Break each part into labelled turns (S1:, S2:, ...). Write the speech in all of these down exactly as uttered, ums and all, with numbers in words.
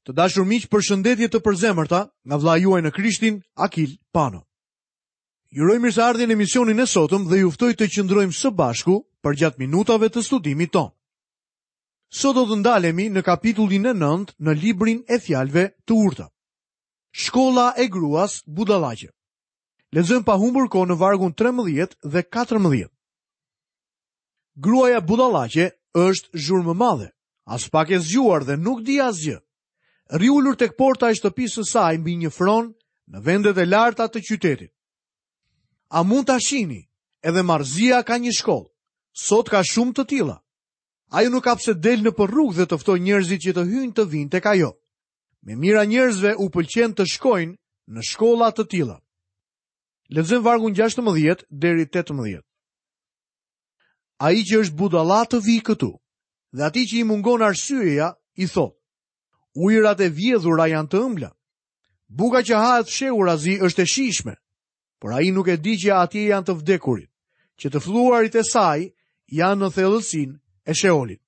S1: Të dashur miq, përshëndetje të përzemërta nga vëllai juaj në Krishtin, Akil Pano. Ju uroj mirëseardhjen në emisionin e sotëm dhe ju ftoj të qëndrojmë së bashku përgjatë minutave të studimit tonë. Sot do të ndalemi në kapitullin e nëntë në librin e fjalëve të urta. Shkolla e gruas budallaqe. Lexojmë pa humbur kohë në vargun trembëdhjetë dhe katërmbëdhjetë. Gruaja budallaqe është zhurmëmadhe, aspak e zgjuar dhe nuk di asgjë. Rri ulur tek porta e shtëpisë së saj mbi një fron në vendet e larta të qytetit. A mund ta shihni? Edhe marrëzia ka një shkollë. Sot ka shumë të tilla. Ajo nuk ka pse del nëpër rrugë dhe të ftojë njerëzit që të hyjnë të vinë tek ajo. Me mijëra njerëzve u pëlqen të shkojnë në shkolla të tilla. Lexojmë vargun gjashtëmbëdhjetë deri tetëmbëdhjetë. Ai që është budalla të vijë këtu, dhe atij që i mungon arsyeja, i thotë: Ujërat e vjedhura janë të ëmbla. Buka që hahet fshehurazi është e shijshme, por ai nuk e di që atje janë të vdekurit, që të fluarit e saj janë në thellësinë e Sheolit.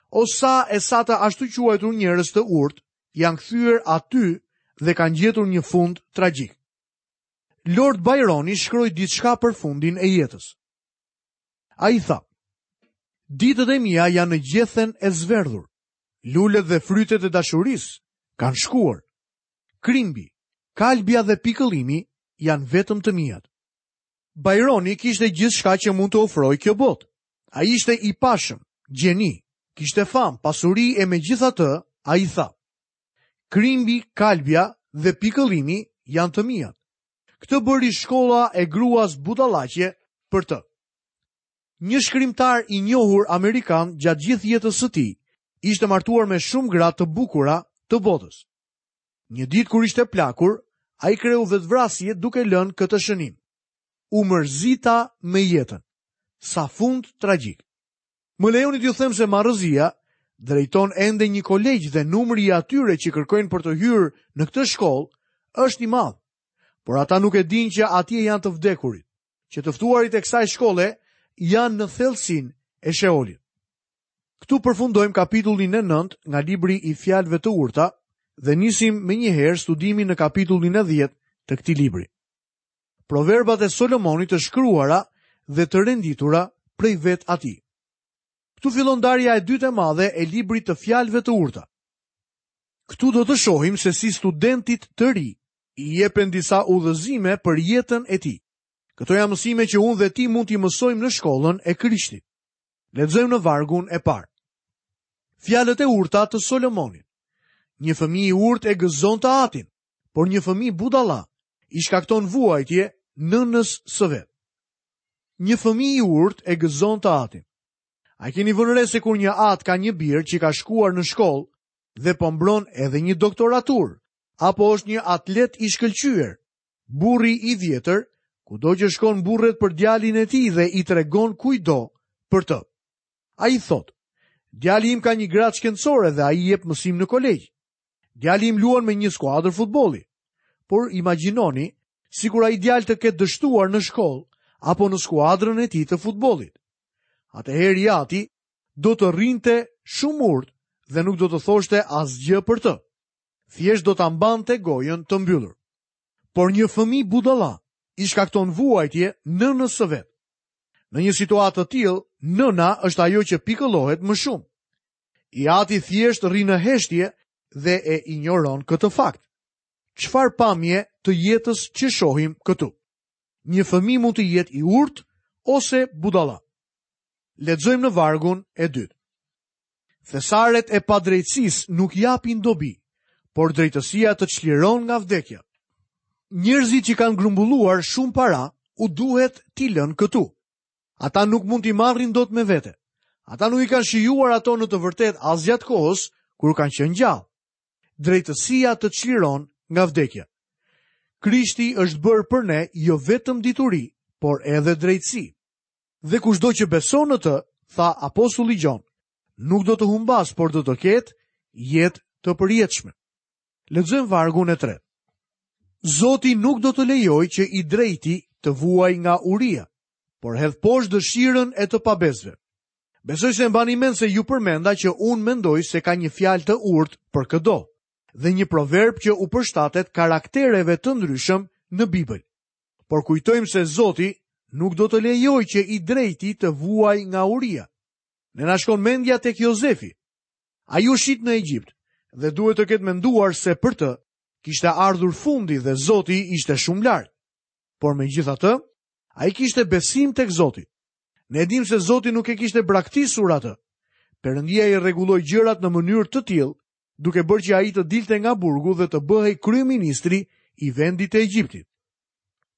S1: O sa e sa të ashtu quajtur njerëz të urtë janë kthyer aty dhe kanë gjetur një fund tragjik. Lord Byroni shkroi diçka për fundin e jetës. Ai tha: Ditët e mia janë në gjethen e zverdhur. Lulet dhe frytet e dashurisë kanë shkuar. Krimbi, kalbja dhe pikëllimi janë vetëm të miat. Byroni kishte gjithçka që mund të ofrojë kjo botë. Ai ishte i pashëm, gjeni, kishte famë, pasuri e megjithatë, ai tha: Krimbi, kalbja dhe pikëllimi janë të miat. Këtë bëri shkolla e gruas budallaqe për të. Një shkrimtar i njohur amerikan gjatë gjithë jetës së tij ishte martuar me shumë gra të bukura të botës. Një ditë kur ishte plakur, ai kreu vetvrasje duke lënë këtë shënim: U mërzita me jetën. Sa fund tragjik. Më lejoni t'ju them se marrëzia drejton ende një kolegj dhe numri i atyre që kërkojnë për të hyrë në këtë shkollë është i madh. Por ata nuk e dinë që atje janë të vdekurit, që të ftuarit e kësaj shkolle janë në thellësinë e Sheolit. Këtu përfundojmë kapitullin e nëntë nga libri i fjalëve të urta dhe nisim menjëherë studimin në kapitullin e dhjetë të këtij libri. Proverbat e Solomonit të shkruara dhe të renditura prej vet atij. Këtu fillon ndarja e dytë e madhe e librit të fjalëve të urta. Këtu do të shohim se si studentit të ri i jepen disa udhëzime për jetën e tij. Këto janë mësime që unë dhe ti mund t'i mësojmë në shkollën e Krishtit. Lexojmë në vargun e parë. Fjalët e urta të Solomonit. Një fëmijë i urtë e gëzon të atin, por një fëmijë budalla i shkakton vuajtje nënës së vet. Një fëmijë i urtë e gëzon të atin. A keni vënë re se kur një atë ka një bir që ka shkuar në shkollë dhe po mbron edhe një doktoraturë, apo është një atlet i shkëlqyer, burri i vjetër, kudo që shkon burret për djalin e tij dhe i tregon kujdo për të. Ai thotë: Djali im ka një gradë shkencore dhe ai jep mësim në kolegj. Djali im luan me një skuadër futbolli. Por imagjinoni sikur ai djalë të ketë dështuar në shkollë apo në skuadrën e tij të futbollit. Atëherë i ati do të rrinte shumë urtë dhe nuk do të thoshte asgjë për të. Thjesht do ta mbante gojën të mbyllur. Por një fëmijë budalla i shkakton vuajtje nënës së vet. Në një situatë të tillë, nëna është ajo që pikëllohet më shumë. I ati thjesht rri në heshtje dhe e injoron këtë fakt. Çfarë pamje të jetës që shohim këtu? Një fëmijë mund të jetë i urtë ose budalla. Lexojmë në vargun e dytë. Thesaret e padrejtësisë nuk japin dobi, por drejtësia të çliron nga vdekja. Njerëzit që kanë grumbulluar shumë para u duhet t'i lënë këtu. Ata nuk mund t'i marrin dot me vete. Ata nuk i kanë shijuar ato në të vërtetë as gjatë kohës kur kanë qenë gjallë. Drejtësia të çliron nga vdekja. Krishti është bërë për ne jo vetëm dituri, por edhe drejtësi. Dhe kushdo që beson në të, tha apostulli Gjon, nuk do të humbas, por do të ketë jetë të përjetshme. Lexojmë vargun e tretë. Zoti nuk do të lejojë që i drejti të vuaj nga uria, por hedh poshtë dëshirën e të pabesëve. Besoj se mbani mend se ju përmenda që unë mendoj se ka një fjalë të urtë për këdo, dhe një proverb që u përshtatet karaktereve të ndryshëm në Bibël. Por kujtojmë se Zoti nuk do të lejojë që i drejti të vuajë nga uria. Ne na shkon mendja tek Jozefi. Ai u shit në Egjipt dhe duhet të ketë menduar se për të kishte ardhur fundi dhe Zoti ishte shumë larg. Por megjithatë, ai kishte besim tek Zoti. Ne e dimë se Zoti nuk e kishte braktisur atë. Perëndia i rregulloi gjërat në mënyrë të tillë, duke bërë që ai të dilte nga burgu dhe të bëhej kryeministri i vendit të Egjiptit.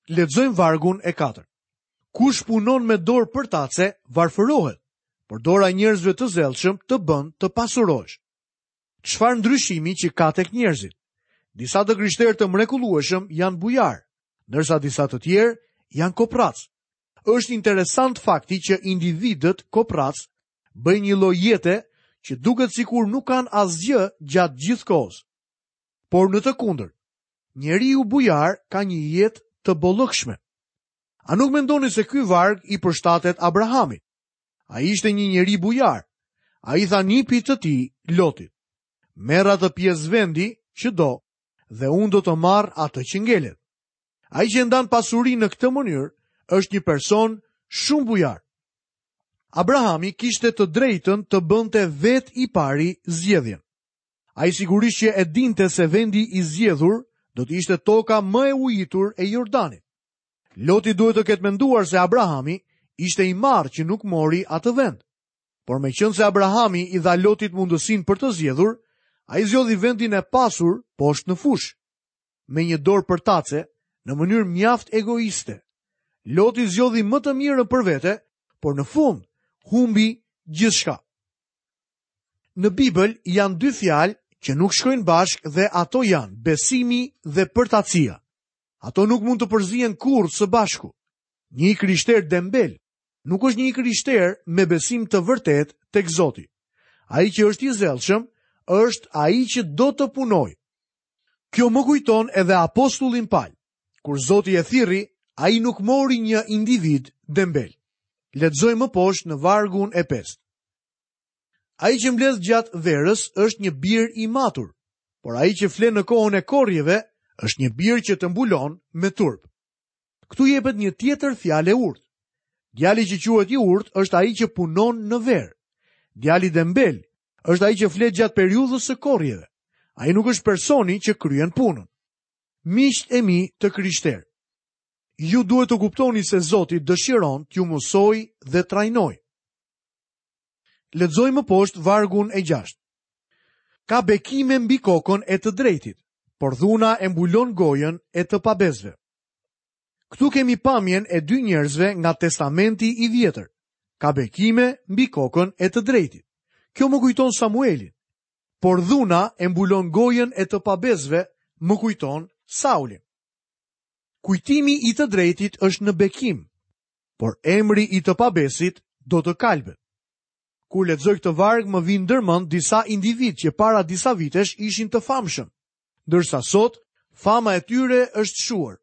S1: Lexojmë vargun e katërt. Kush punon me dorë përtace, varfërohet, por dora e njerëzve të zellshëm të bën të pasurohesh. Çfarë ndryshimi që ka tek njerëzit? Disa të krishterë të mrekullueshëm janë bujar, ndërsa disa të tjerë janë koprac. Është interesant fakti që individët koprac bëjnë një lloj jete që duket sikur nuk kanë asgjë gjatë gjithë kohës. Por në të kundërt, njeriu bujar ka një jetë të bollëkshme. A nuk mendoni se ky varg i përshtatet Abrahamit? Ai ishte një njeri bujar. Ai tha nipit të tij, Lotit: "Merr atë pjesë vendi që do dhe unë do të marr atë që ngelet." Ai që ndan pasurinë në këtë mënyrë është një person shumë bujar. Abrahami kishte të drejtën të bënte vetë i pari zgjedhjen. Ai sigurisht që e dinte se vendi i zgjedhur do të ishte toka më e ujitur e Jordanit. Loti duhet të ketë menduar se Abrahami ishte i marrë që nuk mori atë vend. Por meqenëse Abrahami i dha Lotit mundësinë për të zgjedhur, ai zgjodhi vendin e pasur poshtë në fushë, me një dorë përtace, në mënyrë mjaft egoiste. Loti zgjodhi më të mirën për vete, por në fund humbi gjithçka. Në Bibël janë dy fjalë që nuk shkojnë bashkë dhe ato janë besimi dhe përtacia. Ato nuk mund të përzihen kurrë së bashku. Një i krishterë dembel nuk është një i krishterë me besim të vërtetë tek Zoti. Ai që është i zellshëm është ai që do të punojë. Kjo më kujton edhe apostullin Pal. Kur Zoti e thirri, ai nuk mori një individ dembel. Lexojmë më poshtë në vargun e pestë. Ai që mbledh gjatë verës është një bir i matur, por ai që flen në kohën e korrjeve është një bir që të mbulon me turp. Këtu jepet një tjetër fjalë e urtë. Djali që quhet i urtë është ai që punon në verë. Djali dembel është ai që flet gjatë periudhës së korrjeve. Ai nuk është personi që kryen punën. Miqtë e mi të krishterë, ju duhet të kuptoni se Zoti dëshiron t'ju mësojë dhe trajnojë. Lexojmë më poshtë vargun e gjashtë. Ka bekime mbi kokën e të drejtit, por dhuna e mbulon gojën e të pabesëve. Këtu kemi pamjen e dy njerëzve nga Testamenti i Vjetër. Ka bekime mbi kokën e të drejtit. Kjo më kujton Samuelin. Por dhuna e mbulon gojën e të pabesëve, më kujton Saulin. Kujtimi i të drejtit është në bekim, por emri i të pabesit do të kalbet. Kur lexoj këtë varg, më vijnë ndërmend disa individë që para disa vitesh ishin të famshëm, ndërsa sot fama e tyre është shuar.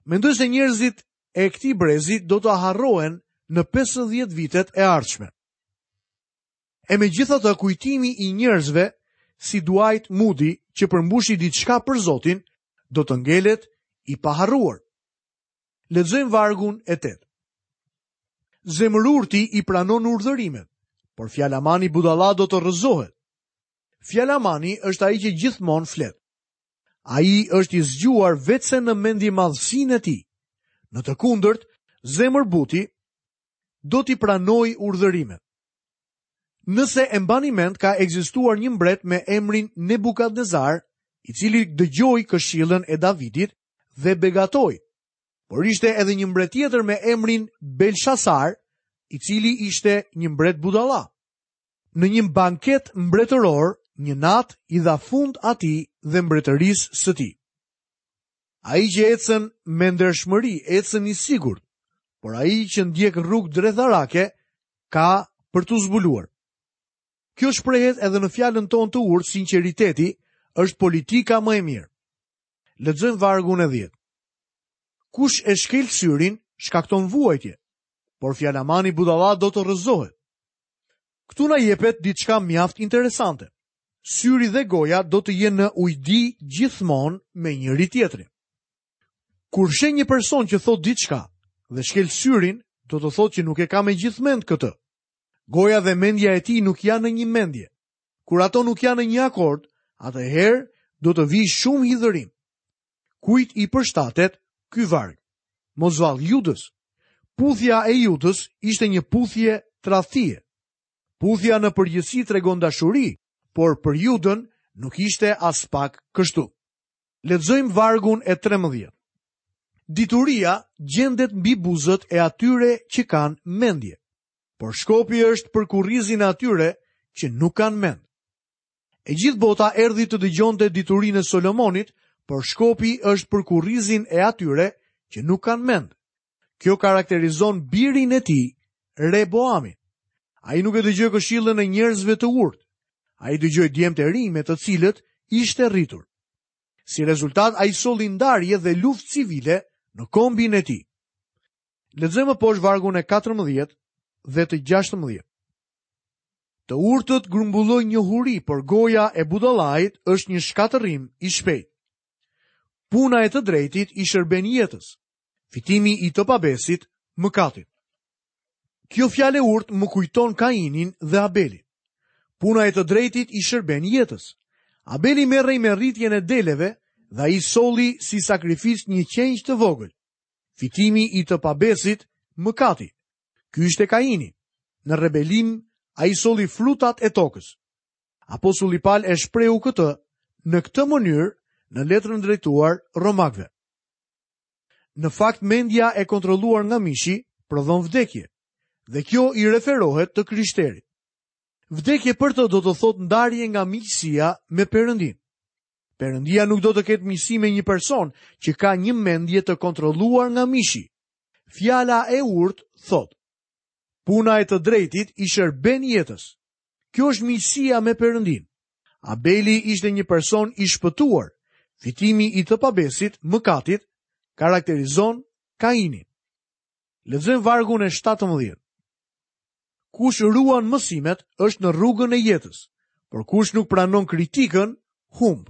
S1: Mendoj se njerëzit e këtij brezi do të harrohen në pesëdhjetë vitet e ardhshme. E megjithatë, kujtimi i njerëzve si Dwight Moody që përmbushi diçka për Zotin do të ngelet i paharruar. Lexojmë vargun e tetë. Zemërurti i pranon urdhërimet, por fjalamani budalla do të rrëzohet. Fjalamani është ai që gjithmonë flet. Ai është i zgjuar vetëse në mendjemadhësinë e tij. Në të kundërt, zemërbuti do t'i pranojë urdhërimet. Nëse e mbani mend, ka ekzistuar një mbret me emrin Nebukadnezar, i cili dëgjoi këshillën e Davidit dhe begatoi. Por ishte edhe një mbret tjetër me emrin Belshazar, i cili ishte një mbret budalla. Në një banket mbretëror, një natë i dha fund atij dhe mbretërisë së tij. Ai që ecën me ndershmëri, ecën i sigurt, por ai që ndjek rrugë dredharake ka për t'u zbuluar. Kjo shprehet edhe në fjalën tonë të urtë, sinqeriteti është politika më e mirë. Lexojmë vargun e dhjetë. Kush e shkel syrin, shkakton vuajtje, por fjalamani budalla do të rrëzohet. Këtu na jepet diçka mjaft interesante. Syri dhe goja do të jenë në ujdi gjithmonë me njëri tjetrin. Kur sheh një person që thotë diçka dhe shkel syrin, do të thotë që nuk e ka me gjithë mend këtë. Goja dhe mendja e tij nuk janë në një mendje. Kur ato nuk janë në një akord, atëherë do të vijë shumë hidhërim. Kujt i përshtatet ky varg? Mos vallë Judës. Puthja e Judës ishte një puthje tradhtie. Puthja në përgjithësi tregon dashuri, por për Judën nuk ishte as pak kështu. Lexojmë vargun e trembëdhjetë. Dituria gjendet mbi buzët e atyre që kanë mendje, por shkopi është për kurrizin e atyre që nuk kanë mend. E gjithë bota erdhi të dëgjonte diturinë e Solomonit, por shkopi është për kurrizin e atyre që nuk kanë mend. Kjo karakterizon birin e tij, Reboamin. Ai nuk e dëgjoi këshillën e njerëzve të urtë. Ai dëgjoi djemtë e rinj me të cilët ishte rritur. Si rezultat, ai solli ndarje dhe luftë civile në kombin e tij. Lexojmë poshtë vargun e katërmbëdhjetë dhe të gjashtëmbëdhjetë. Të urtët grumbullojnë njohuri, por goja e budallait është një shkatërrim i shpejtë. Puna e të drejtit i shërben jetës, fitimi i të pabesit mëkatit. Kjo fjalë e urtë më kujton Kainin dhe Abelin. Puna e të drejtit i shërben jetës. Abeli merrej me rritjen e deleve dhe ai solli si sakrificë një qengj të vogël. Fitimi i të pabesit mëkati. Ky ishte Kaini. Në rebelim ai solli frutat e tokës. Apostulli Paul e shprehu këtë në këtë mënyrë në letrën drejtuar Romakëve. Në fakt, mendja e kontrolluar nga mishi prodhon vdekje, dhe kjo i referohet të krishterit. Vdekje për të do të thotë ndarje nga miqësia me Perëndin. Perëndia nuk do të ketë miqësi me një person që ka një mendje të kontrolluar nga mishi. Fjala e urtë thotë: Puna e të drejtit i shërben jetës. Kjo është miqësia me Perëndin. Abeli ishte një person i shpëtuar. Fitimi i të pabesit, mëkatit, karakterizon Kainin. Lexojmë vargun e shtatëmbëdhjetë. Kush ruan mësimet është në rrugën e jetës, por kush nuk pranon kritikën, humb.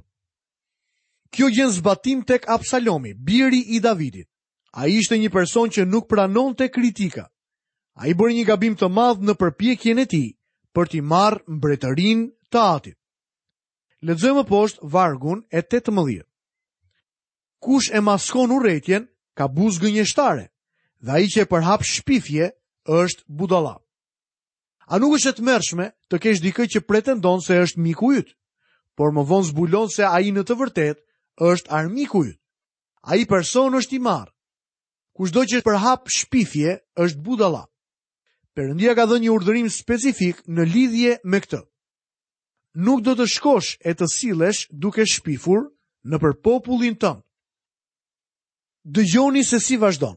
S1: Kjo gjen zbatim tek Absalomi, biri i Davidit. Ai ishte një person që nuk pranonte kritika. Ai bëri një gabim të madh në përpjekjen e tij për t'i marrë mbretërinë të atit. Lexojmë poshtë vargun e tetëmbëdhjetë. Kush e maskon urrejtjen ka buzë gënjeshtare, dhe ai që e përhap shpifje është budalla. A nuk është e tmerrshme të kesh dikë që pretendon se është miku yt, por më vonë zbulon se ai në të vërtetë është armiku yt? Ai person është i marrë. Kushdo që përhap shpifje është budalla. Perëndia ka dhënë një urdhërim specifik në lidhje me këtë. Nuk do të shkosh e të sillesh duke shpifur në për popullin tënd. Dëgjoni se si vazhdon.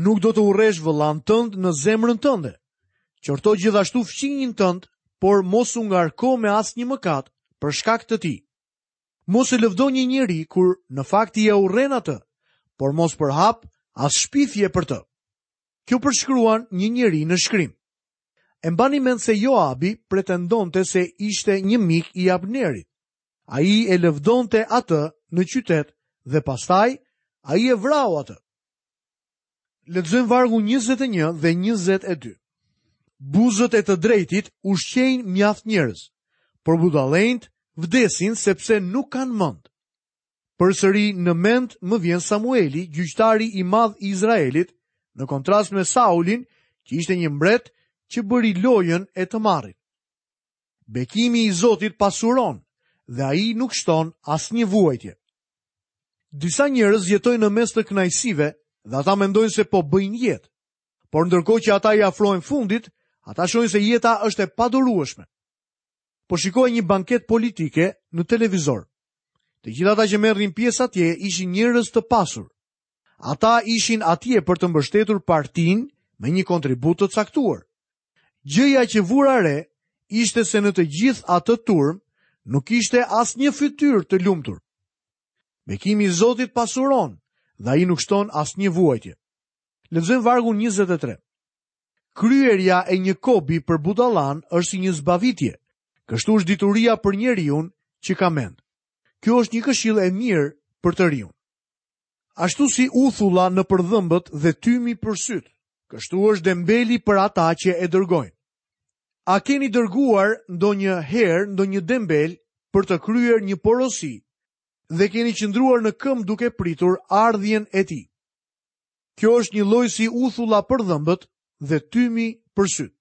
S1: Nuk do të urresh vëllan tënd në zemrën tënde. Qorto gjithashtu fqinjin tënd, por mos u ngarko me asnjë mëkat për shkak të tij. Mos e lëvdo një njeri kur në fakt i e urren atë, por mos përhap as shpifje për të. Kjo përshkruan një njeri në shkrim. E mbani mend se Joabi pretendonte se ishte një mik i Abnerit. Ai e lëvdonte atë në qytet dhe pastaj ai e vrau atë. Lexojmë vargun njëzet e një dhe njëzet e dy. Buzët e të drejtit ushqejnë mjaft njerëz, por budallenjt vdesin sepse nuk kanë mend. Përsëri në mend më vjen Samueli, gjyqtari i madh i Izraelit, në kontrast me Saulin, që ishte një mbret që bëri lojën e të marrit. Bekimi i Zotit pasuron dhe ai nuk shton asnjë vuajtje. Disa njerëz jetojnë në mes të kënaqësive dhe ata mendojnë se po bëjnë jetë. Por ndërkohë që ata i afrohen fundit, ata shohin se jeta është e padurueshme. Po shikoj një banket politike në televizor. Të gjithë ata që merrnin pjesë atje ishin njerëz të pasur. Ata ishin atje për të mbështetur partinë me një kontribut të caktuar. Gjëja që vura re ishte se në të gjithë atë turm nuk ishte asnjë fytyrë të lumtur. Bekimi i Zotit pasuron dhe ai nuk shton asnjë vuajtje. Lexojmë vargun njëzet e tre. Kryerja e një kobi për budallan është si një zbavitje. Kështu është dituria për njeriun që ka mend. Kjo është një këshillë e mirë për të riun. Ashtu si uthulla nëpër dhëmbët dhe tymi për sytë, kështu është dembeli për ata që e dërgojnë. A keni dërguar ndonjë herë ndonjë dembel për të kryer një porosi dhe keni qëndruar në këmbë duke pritur ardhjen e tij? Kjo është një lloj si uthulla për dhëmbët dhe tymi për sytë.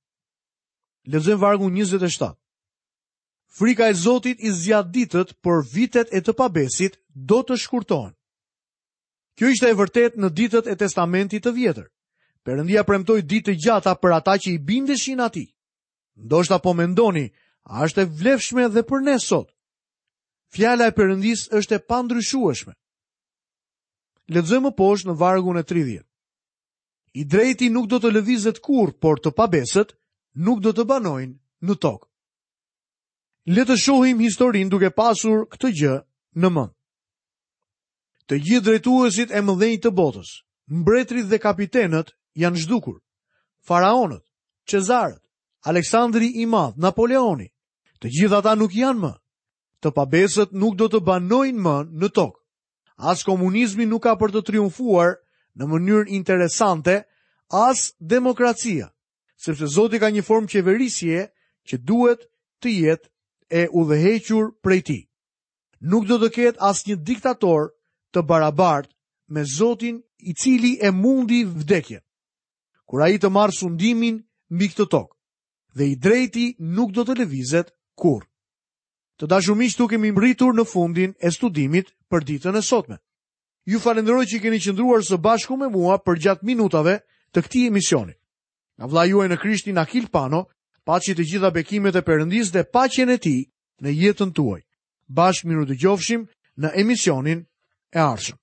S1: Lexojmë vargun njëzet e shtatë. Frika e Zotit i zgjat ditët, por vitet e të pabesit do të shkurtohen. Kjo ishte e vërtetë në ditët e Testamentit të Vjetër. Perëndia premtoi ditë të gjata për ata që i bindeshin atij. Ndoshta po mendoni, a është e vlefshme dhe për ne sot? Fjala e Perëndisë është e pandryshueshme. Lexojmë më poshtë në vargun e tridhjetë. I drejti nuk do të lëvizet kurrë, por të pabesët nuk do të banojnë në tokë. Le të shohim historinë duke pasur këtë gjë në mend. Të gjithë drejtuesit e mëdhenj të botës, mbretërit dhe kapitenët janë zhdukur. Faraonët, Cezarët, Aleksandri i Madh, Napoleoni, të gjithë ata nuk janë më. Të pabesët nuk do të banojnë më në tokë. As komunizmi nuk ka për të triumfuar në mënyrë interesante, as demokracia, sepse Zoti ka një formë qeverisje që duhet të jetë e udhëhequr prej tij. Nuk do të ketë asnjë diktator të barabartë me Zotin i cili e mundi vdekjen, kur ai të marrë sundimin mbi këtë tokë, dhe i drejti nuk do të lëvizet kurrë. Të dashur miq, tu kemi mbërritur në fundin e studimit për ditën e sotme. Ju falenderoj që keni qëndruar së bashku me mua përgjatë minutave të këtij emisioni. Nga vëllai juaj në Krishtin Akil Pano, paçi të gjitha bekimet e Perëndisë dhe paqen e tij në jetën tuaj. Bashkë mirudëgjofshim në emisionin e ardhshëm.